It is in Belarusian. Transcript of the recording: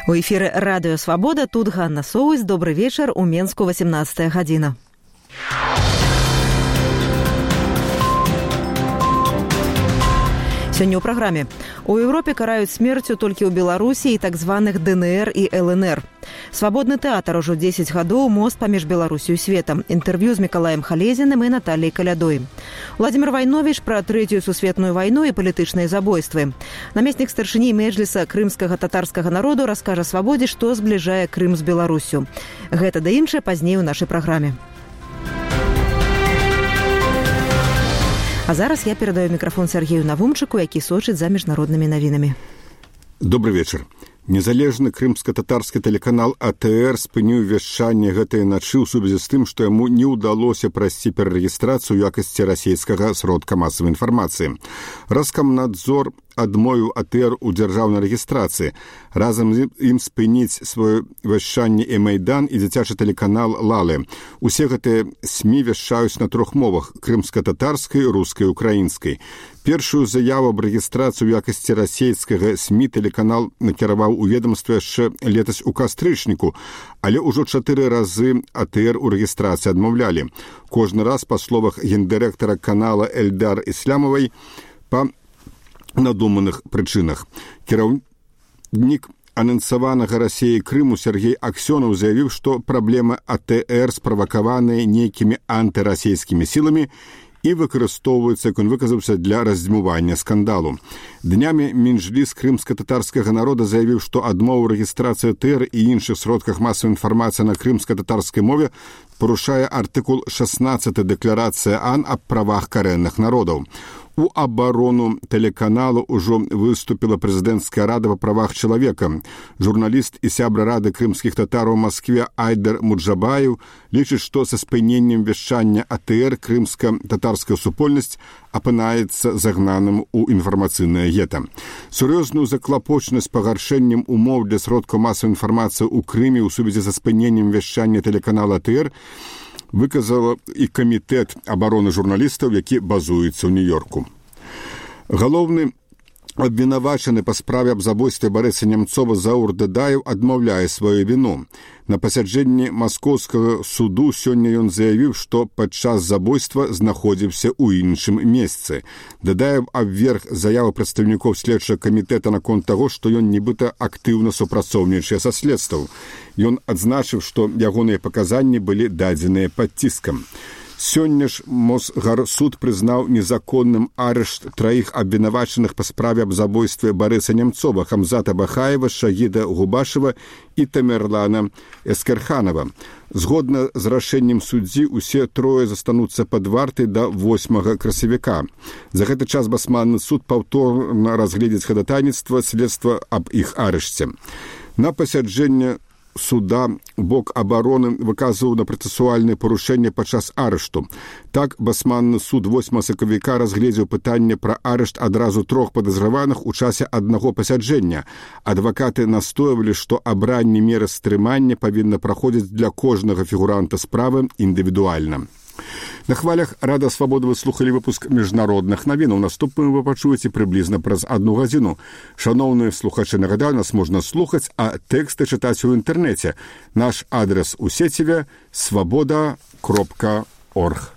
У эфіры Радыё Свабода, тут Ганна Соўсь. Добры вечар, у Менску 18 гадзіна. Сёння ў праграме. У Еўропе караюць смерцю толькі ў Беларусі і так званых ДНР і ЛНР. Свабодны тэатр ужо 10 гадоў, мост паміж Беларусю і светам. Інтэрв'ю з Мікалаем Халезіным і Наталіяй Калядой. Владзімір Вайновіч пра Трэцюю сусветную вайну і палітычныя забойствы. Намеснік старшыні Меджліса крымскага татарскага народу раскажа Свабодзе, што збліжае Крым з Беларусю. Гэта да іншае пазней у нашай праграме. А зараз я перадаю мікрафон Сергею Навумчыку, які сочыць за міжнароднымі навінамі. Добрый вечар. Незалежны крымска-татарскі тэлеканал АТР спыніў вяшчанне гэтай начы ў сувязі з тым, што яму не ўдалося прайсці перарэгістрацыю ў якасці расійскага сродка масавай інфармацыі. Раскомнадзор адмовіў АТР у дзяржаўнай рэгістрацыі. Разам з ім спыніць сваё вяшчанне і Майдан, і дзіцячы тэлеканал Лалы. Усе гэтыя СМІ вяшчаюць на 3 мовах – крымска-татарскай, рускай, украінскай. Першую заяву аб рэгістрацыі ў якасці расійскага СМІ тэлеканал накіраваў у ведомства яшчэ летась у кастрычніку, але ўжо 4 разы АТР у рэгістрацыі адмаўлялі. Кожны раз, па словах гендырэктара канала Эльдар Ислямовай, па надуманых прычынах. Кіраўнік анансаванага Расіі Крыму Сергей Аксёнаў заявіў, што праблемы АТР справакаваныя нейкімі антырасійскімі сіламі і выкарыстоўваюцца, як он выказаўся, для раздзьмування скандалу. Днямі Меджліс крымска-татарскага народа заявіў, што адмова рэгістрацыі АТР і іншых сродках масавай інфармацыі на крымска-татарскай мове парушае артыкул 16 Дэкларацыі АН аб правах карэнных народаў. У абарону тэлеканалу ўжо выступіла прэзідэнцкая рада па правах чалавека. Журналіст і сябра рады крымскіх татараў у Маскве Айдар Муджабаев лічыць, што са спыненнем вяшчання АТР крымска-татарская супольнасць апынаецца загнаным у інфармацыйнае гета. Сур'ёзную заклапочнасць пагаршэннем умоў для сродкаў масавай інфармацыі ў Крыме ў сувязі са спыненнем вяшчання тэлеканала АТР выказала і камітэт абароны журналістаў, які базуецца ў Нью-Йорку. Галоўны абвінавачаны па справе аб забойстве Барыса Немцова Заур Дадаев адмаўляе сваю віну. На пасяджэнні маскоўскага суду сёння ён заявіў, што падчас забойства знаходзіўся ў іншым месцы. Дадаев абверг заяву прадстаўнікоў следчага камітэта наконт таго, што ён нібыта актыўна супрацоўнічае са следствам. Ён адзначыў, што ягоныя паказанні былі дадзеныя пад ціскам. Сёння ж Мосгарсуд прызнаў незаконным арышт 3 абвінавачаных па справе аб забойстве Барыса Немцова, Хамзата Бахаева, Шагіда Губашева і Тамерлана Эскерханова. Згодна з рашэннем суддзі, усе 3 застануцца пад вартай да 8 красавіка. За гэты час басманны суд паўторна разгледзіць хадатайніцтва следства аб іх арышце. На пасяджэнне суда бок абароны выказваў на працэсуальныя парушэнні падчас арышту. Так, басманны суд 8 сакавіка разгледзеў пытанне пра арышт адразу 3 падазраваных у часе аднаго пасяджэння. Адвакаты настойвалі, што абранне меры стрымання павінна праходзіць для кожнага фігуранта справы індывідуальна. На хвалях Рада Свабоды вы слухалі выпуск міжнародных навінаў. Наступным вы пачуеце прыблізна праз 1 гадзіну. Шаноўныя слухачы, нагадаю, нас можна слухаць, а тэксты чытаць у інтэрнэце. Наш адрес у сеціве свабода.орг.